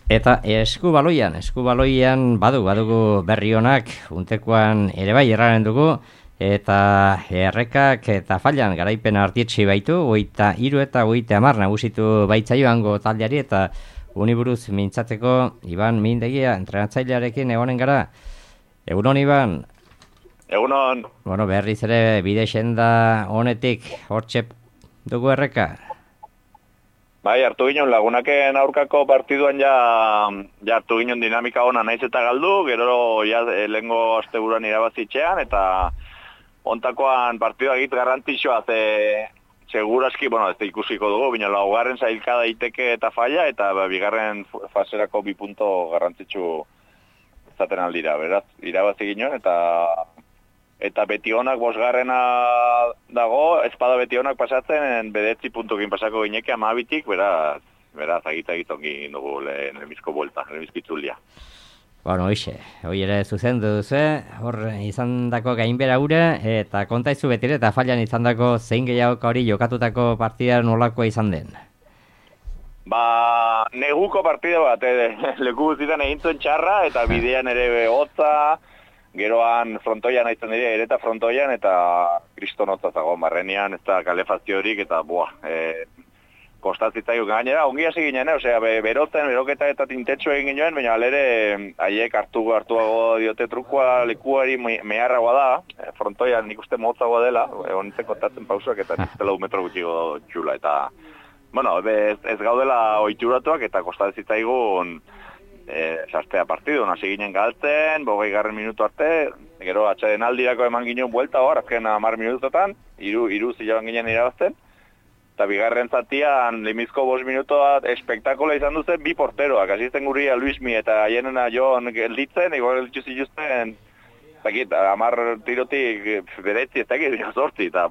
Eta eskubaloian badugu berri honak, untekoan ere bai erraren dugu, eta errekak eta fallan garaipen artietxi baitu, 23 eta 30 nagusitu baitzaioango taldeari, eta uniburuz mintzateko Iban Mindegia, entrenatzailearekin egonen gara. Egunon, Iban? Egunon. Bueno, berriz ere bide senda honetik hortxe dugu erreka. Bai, hartu ginen lagunaken aurkako partiduan ja hartu ginen dinamika ona naiz eta galdu, gero ja lehengo asteburuan irabazitxean, eta ontakoan partidua egit garrantzitsua, seguraski, bueno, ez ikusiko dugu, bina laugarren zailka daiteke eta falla, eta bigarren faserako 2 punto garrantzitsu zaten aldira, beraz, irabazi ginen, eta betionak 5garrena dago, espada betionak pasatzen, 9 puntukin pasako gineke 12-tik, beraz, agitongi dugu lehenbizko buelta, lehenbizkitzulia. Bueno, hoi ere zuzendu duzu, hor izandako gainbera ure, eta kontaizu betire, eta fallan izandako zein gehiago hori jokatutako partida nolakoa izan den? Neguko partida bat, leku guztietan egin zuen txarra, eta bidean ere hotza, geroan frontoian aitzen dira, ereta frontoian, eta kristonotza zagoen barrenean, ez da kalefaziorik, eta kostatzitzaio gainera, ongi hasi ginen, beroketa eta tintetxo egin ginen, baina alere haiek hartuago diote trukua lekuari meharragoa da, frontoian nik uste motzagoa dela, honitzen kontatzen pausuak, eta nik uste 4 metro gutxiko txula, eta, bueno, ez gaudela oituratuak, eta kostatzitaigun sartea partidu, hasi ginen galtzen, 20 minutu arte, gero atxaden aldirako eman ginen buelta hor, azken 10 minutotan, iru zilaban ginen irabazten, eta bigarren zatian, limizko 5 minutoa espektakola izan duzen 2 porteroak, asisten guria Luismi eta haienena Jon gelditzen, igual gelditu zituzten, ez dakit, 10 tirotik 9, ez dakit, 8, eta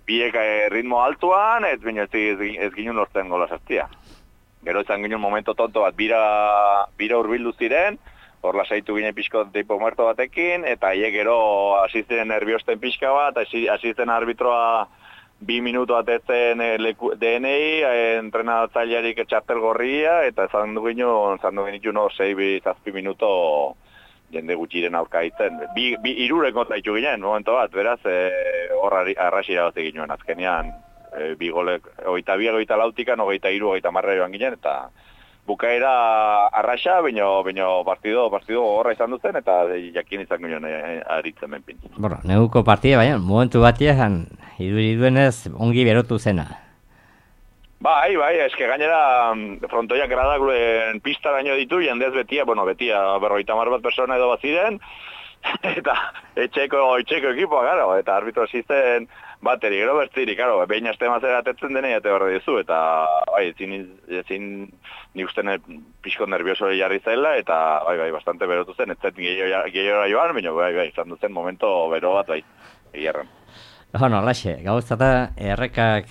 biek ritmo altuan, ez ginen lortzen gola sartia. Gero izan ginen momento tonto bat, bira urbildu ziren, hor lasaitu ginen pixko tipo muerto batekin, eta haiek gero asisten nerviosten pixka bat, asisten arbitroa 2 minutu atetzen DNI, entrenatzailearik txartel gorria, eta izan du ginen 6-7 minuto jende gutxiren aurka ditzen. 3 kontra ditu ginen, momento bat, beraz, hor arrasi irabazi ginen azkenean. 2 golek, 22-24-tikan, 23-23 joan ginen, eta bukaera arraxa, baina partido horra izan duzen, eta jakin izan ginen aritzen benpin. Bueno, neguko partida, baina, momentu batian, iduriduenez, ongi berotu zena. Bai, eske gainera frontoiak gradaguren pista baino ditu, jendez betia 50 bat persona edo bat ziren, eta etxeko ekipoa, gero, eta arbitro asisten bateri, gero bertziri, karo, behin aste mazera atetzen denei, eta horre dizu, eta ezin ni uste pixko nervioso jarri zaila, eta bastante berotu zen, ez zen gehiora joan, baina izan duzen momento bero bat, egiarran. Bueno, laxe, gauzata errekak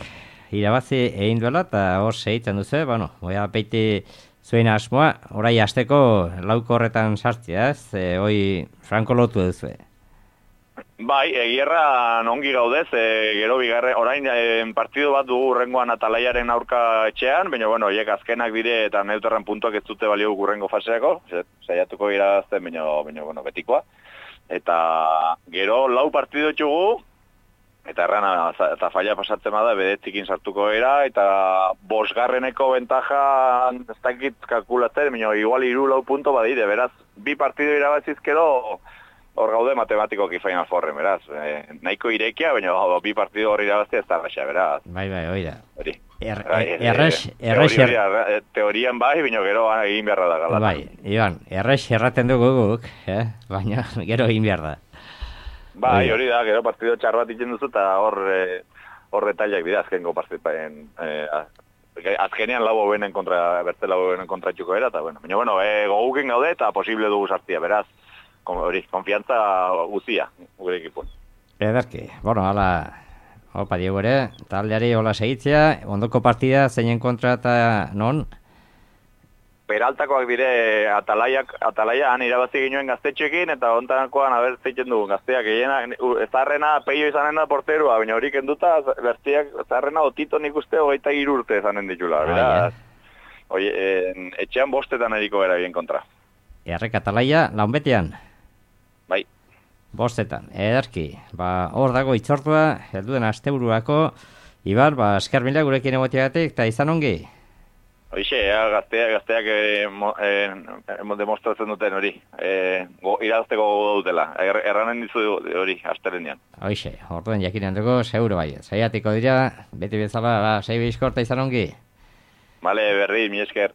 irabazi egin duela, eta hor segitzen duzu, bueno, peiti zuen asmoa, orai hasteko lauko horretan sartzea, ez? Hoi franko lotu duzu. Bai, egierran ongi gaudez, gero bigarren, orain partidu bat dugu urrengoan Atalaiaren aurka etxean, baina, hiek azkenak dire eta neuterran puntuak ez dute balio urrengo faseako, saiatuko irazten, baina, betikoa. Eta gero 4 partidu txugu, eta errana eta falla pasatzen bada, 9-tikin sartuko era, eta 5garreneko bentaja ez dakit kalkulatzen, baina igual 3-4 punto badire, beraz, 2 partidu irabazizkero, hor gaude matematikoki Final Fourren, beraz. Nahiko irekia, baina 2 partidu hor irabaztea ez da raxa, beraz. Bai, oida. Hori. Teorian bai, baina gero egin beharra da galatan. Bai, Iban, errex erraten dugu guk, baina gero egin behar da. Bai, hori da, gero partidu txar bat itzen duzu, eta hor retaliak dira azkenko partipaen. Azkenean bertze lau benen kontra txuko era, eta baina, goguken gaude eta posible dugu sartia, beraz. Hori, konfiantza guzia, gure ekipun. Ederki, opa Diego ere, taldeari hola segitzea, ondoko partida zeinen kontra eta non? Peraltakoak dire Atalaia han irabazi ginoen gaztetxekin, eta ontakoan aber zeiten dugu gazteak egin, ezarrena peio izanen da porterua, baina hori kenduta, bertziak ezarrena otito nik uste 23 urte izanen ditula, beraz. etxean bostetan eriko gara bien kontra. Erreka talaia, launbetean. Bai. Bostetan, ederki. Hor dago itzortua, helduen asteburuako, Ibar, esker mila gurekin egoteagatik, eta izan ongi? Hoixe, gazteak demostratzen duten hori. Irazteko gogo dutela. Erranen dizu hori, astelenean. Hoixe, orduen jakinen dugu, seguro bai. Zaiatiko dira, beti bezala, sei bizkorta izan ongi? Bale, berri, mi esker.